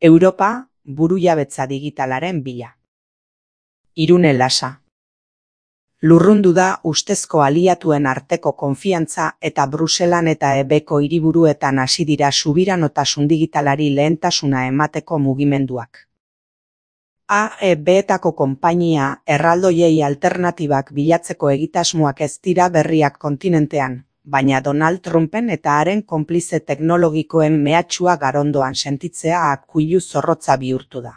Europa, burujabetza digitalaren bila. Irune Lasa. Lurrundu da ustezko aliatuen arteko konfiantza eta Bruselan eta ebeko hiriburuetan hasi dira subiranotasun digitalari lehentasuna emateko mugimenduak. AEB-etako konpainia erraldoiei alternatibak bilatzeko egitasmoak ez dira berriak kontinentean, baina Donald Trumpen eta haren konplize teknologikoen mehatxua garondoan sentitzea akuilu zorrotza bihurtu da.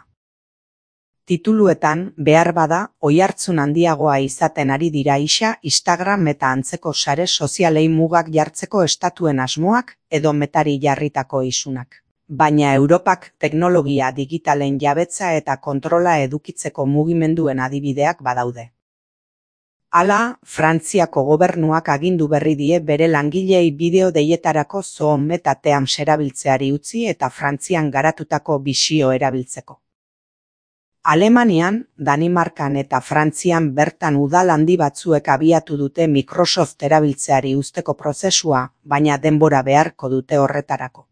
Tituluetan, behar bada, oihartzun handiagoa izaten ari dira Instagram eta antzeko sare sozialei mugak jartzeko estatuen asmoak edo Metari jarritako isunak. Baina Europak teknologia digitalen jabetza eta kontrola edukitzeko mugimenduen adibideak badaude. Hala, Frantziako gobernuak agindu berri die bere langileei bideo deietarako Zoom eta Teams erabiltzeari utzi eta Frantzian garatutako Visio erabiltzeko. Alemanian, Danimarkan eta Frantzian bertan udal handi batzuek abiatu dute Microsoft erabiltzeari uzteko prozesua, baina denbora beharko dute horretarako.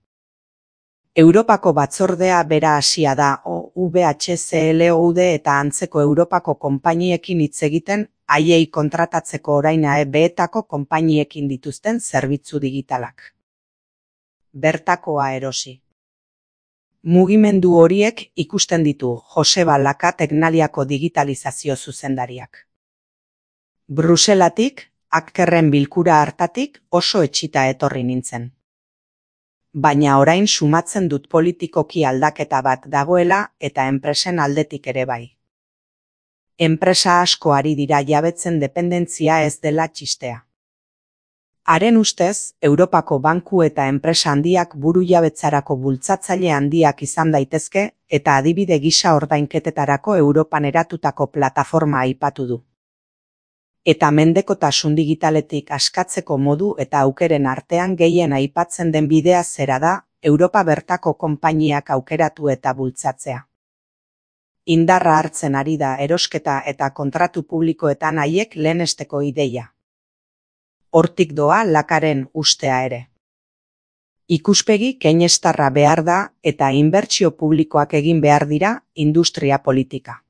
Europako batzordea bera hasia da OVHCLOUD eta antzeko Europako konpainiekin hitz egiten, haiei kontratatzeko orain AEB-etako konpainiekin dituzten zerbitzu digitalak. Bertakoa erosi. Mugimendu horiek ikusten ditu Joseba Laka Teknaliako digitalizazio zuzendariak. Bruselatik, Ackerren bilkura hartatik oso etxita etorri nintzen. Baina orain sumatzen dut politikoki aldaketa bat dagoela eta enpresen aldetik ere bai. Enpresa asko ari dira jabetzen dependentzia ez dela txistea. Haren ustez, Europako banku eta enpresa handiak burujabetzarako bultzatzaile handiak izan daitezke eta adibide gisa ordainketetarako Europan eratutako plataforma aipatu du. Eta mendekotasun digitaletik askatzeko modu eta aukeren artean gehien aipatzen den bidea zera da, Europa bertako konpainiak aukeratu eta bultzatzea. Indarra hartzen ari da erosketa eta kontratu publikoetan haiek lehenesteko ideia. Hortik doa Lakaren ustea ere. Ikuspegi keinestarra behar da eta inbertsio publikoak egin behar dira industria politika.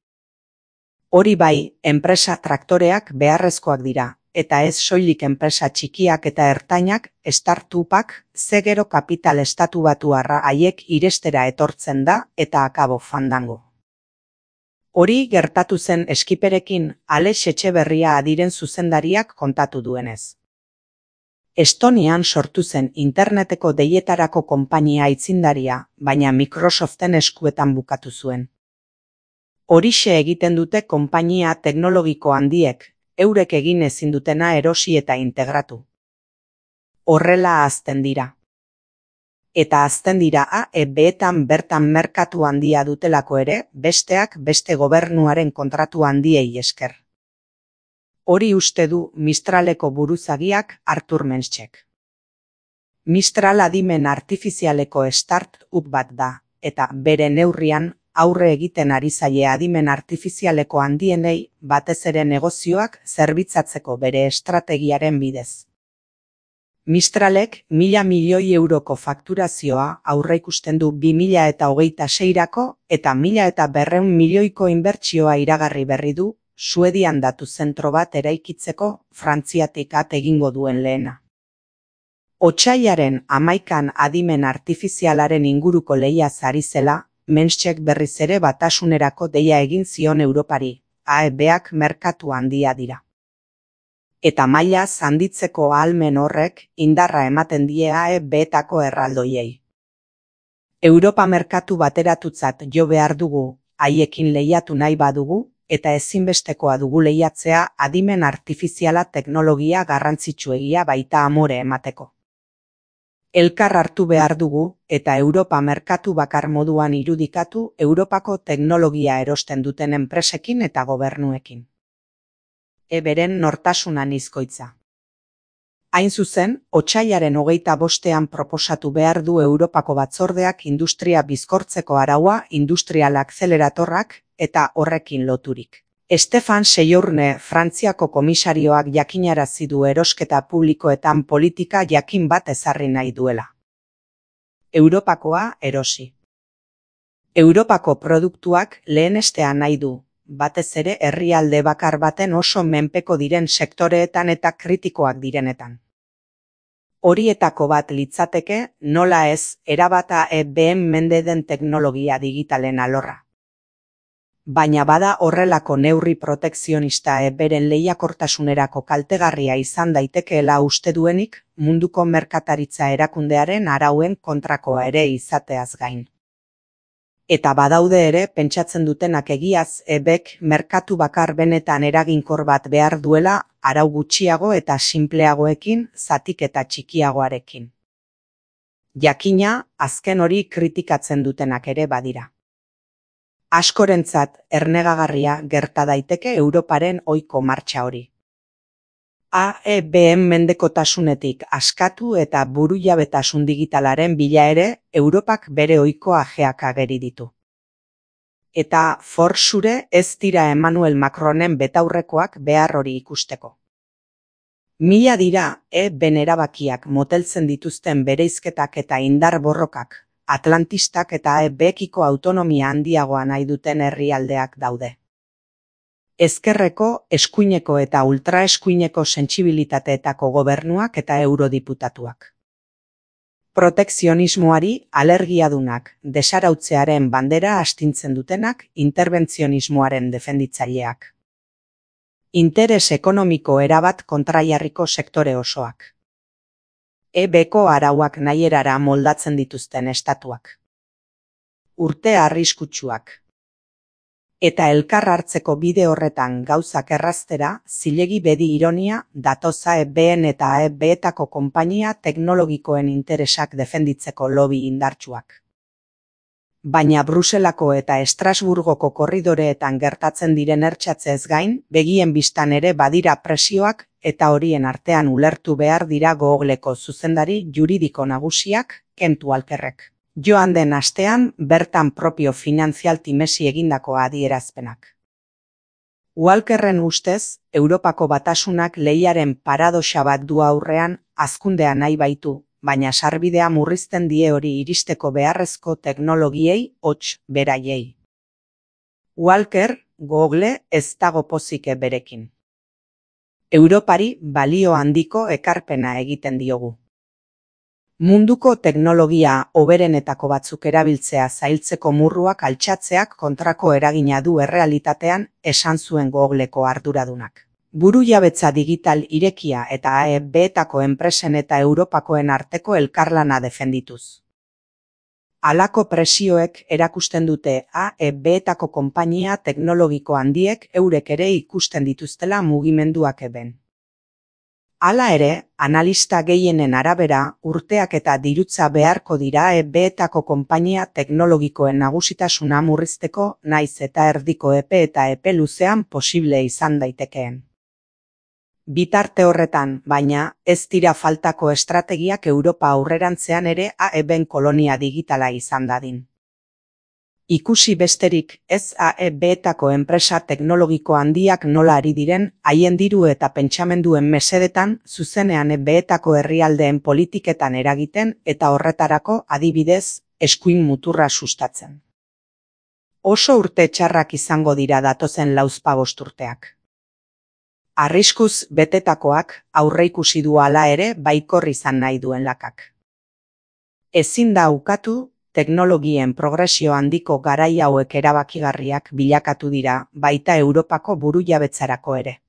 Hori bai, enpresa traktoreak beharrezkoak dira, eta ez soilik enpresa txikiak eta ertainak, startupak, zegero kapital estatubatuarra haiek irestera etortzen da eta akabo fandango. Hori gertatu zen Eskiperekin Alex Etxeberria adiren zuzendariak kontatu duenez. Estonian sortu zen interneteko deietarako konpainia aitzindaria, baina Microsoften eskuetan bukatu zuen. Horixe egiten dute konpainia teknologiko handiek, eurek egin ezin dutena erosi eta integratu. Horrela hazten dira. Eta hazten dira AEB-etan bertan merkatu handia dutelako ere, besteak beste gobernuaren kontratu handiei esker. Hori uste du Mistraleko buruzagiak Artur Menschek. Mistral adimen artifizialeko start-up bat da, eta bere neurrian aurre egiten ari zaie adimen artifizialeko handienei batez ere negozioak zerbitzatzeko bere estrategiaren bidez. Mistralek 1.000 milioi euroko fakturazioa aurreikusten du 2026rako eta 1.200 milioiko inbertsioa iragarri berri du, Suedian datu zentro bat eraikitzeko Frantziatik at egingo duen lehena. Otsailaren 11an adimen artifizialaren inguruko lehia ari zela, Menschek berriz ere batasunerako deia egin zion Europari, AEB-ak merkatu handia dira. Eta mailaz handitzeko ahalmen horrek indarra ematen die AEB-etako erraldoiei. Europa merkatu bateratutzat jo behar dugu, haiekin lehiatu nahi badugu, eta ezinbestekoa dugu lehiatzea adimen artifiziala teknologia garrantzitsuegia baita amore emateko. Elkar hartu behar dugu eta Europa merkatu bakar moduan irudikatu Europako teknologia erosten duten enpresekin eta gobernuekin. Eberen nortasuna nizkoitza. Hain zuzen, otsailaren 25ean proposatu behar du Europako batzordeak industria bizkortzeko araua industrial akzeleratorrak eta horrekin loturik. Stefan Sejourne Frantziako komisarioak jakinarazi du erosketa publikoetan politika jakin bat ezarri nahi duela. Europakoa erosi. Europako produktuak lehenestea nahi du, batez ere herrialde bakar baten oso menpeko diren sektoreetan eta kritikoak direnetan. Horietako bat litzateke, nola ez, erabata EBM mende den teknologia digitalen alorra. Baina bada horrelako neurri protekzionista beren lehiakortasunerako kaltegarria izan daitekeela uste duenik, munduko merkataritza erakundearen arauen kontrakoa ere izateaz gain. Eta badaude ere pentsatzen dutenak egiaz EBek merkatu bakar benetan eraginkor bat behar duela arau gutxiago eta sinpleagoekin, zatiketa txikiagoarekin. Jakina, azken hori kritikatzen dutenak ere badira. Askorentzat ernegagarria gerta daiteke Europaren ohiko martxa hori. EBM mendekotasunetik askatu eta burujabetasun digitalaren bila ere Europak bere ohiko ajeak ageri ditu. Eta forsure ez dira Emmanuel Macronen betaurrekoak behar hori ikusteko. Mila dira EBen erabakiak moteltzen dituzten bereizketak eta indar borrokak, atlantistak eta EBekiko autonomia handiagoa nahi duten herrialdeak daude. Ezkerreko, eskuineko eta ultraeskuineko sentsibilitateetako gobernuak eta eurodiputatuak. Protekzionismoari alergiadunak, desarautzearen bandera astintzen dutenak, interbentzionismoaren defenditzaileak. Interes ekonomiko erabat kontraiarriko sektore osoak. EBko arauak nahierara moldatzen dituzten estatuak. Urte arriskutsuak. Eta elkar hartzeko bide horretan gauzak erraztera, zilegi bedi ironia, datoza EBen eta EBetako konpainia teknologikoen interesak defenditzeko lobby indartsuak. Baina Bruselako eta Estrasburgoko korridoreetan gertatzen diren ertsatzez gain, begien bistan ere badira presioak eta horien artean ulertu behar dira Googleko zuzendari juridiko nagusiak, Kent Walkerrek. Joan den astean bertan propio Financial Timesi egindako adierazpenak. Walkerren ustez, Europako batasunak lehiaren paradoxa bat du aurrean, hazkundea nahi baitu, baina sarbidea murrizten die hori iristeko beharrezko teknologiei hots beraiei. Walker, Google ez dago pozik berekin. Europari balio handiko ekarpena egiten diogu. Munduko teknologia hoberenetako batzuk erabiltzea zailtzeko murruak altxatzeak kontrako eragina du errealitatean, esan zuen Googleko arduradunak. Burujabetza digital irekia eta EBetako enpresen eta Europakoen arteko elkarlana defendituz. Halako presioek erakusten dute EBetako konpainia teknologiko handiek eurek ere ikusten dituztela mugimenduak EBen. Hala ere, analista gehienen arabera, urteak eta dirutza beharko dira EBetako konpainia teknologikoen nagusitasuna murrizteko, naiz eta erdiko epe eta epe luzean posible izan daitekeen. Bitarte horretan, baina, ez dira faltako estrategiak Europa aurrerantzean ere EBen kolonia digitala izan dadin. Ikusi besterik ez EBetako enpresa teknologiko handiak nola ari diren, haien diru eta pentsamenduen mesedetan, zuzenean EBetako herrialdeen politiketan eragiten eta horretarako adibidez, eskuin muturra sustatzen. Oso urte txarrak izango dira datozen lauzpabost urteak. Arriskuz betetakoak aurreikusi du hala ere baikor izan nahi duen lakak. Ezin da ukatu, teknologien progresio handiko garai hauek erabakigarriak bilakatu dira, baita Europako burujabetzarako ere.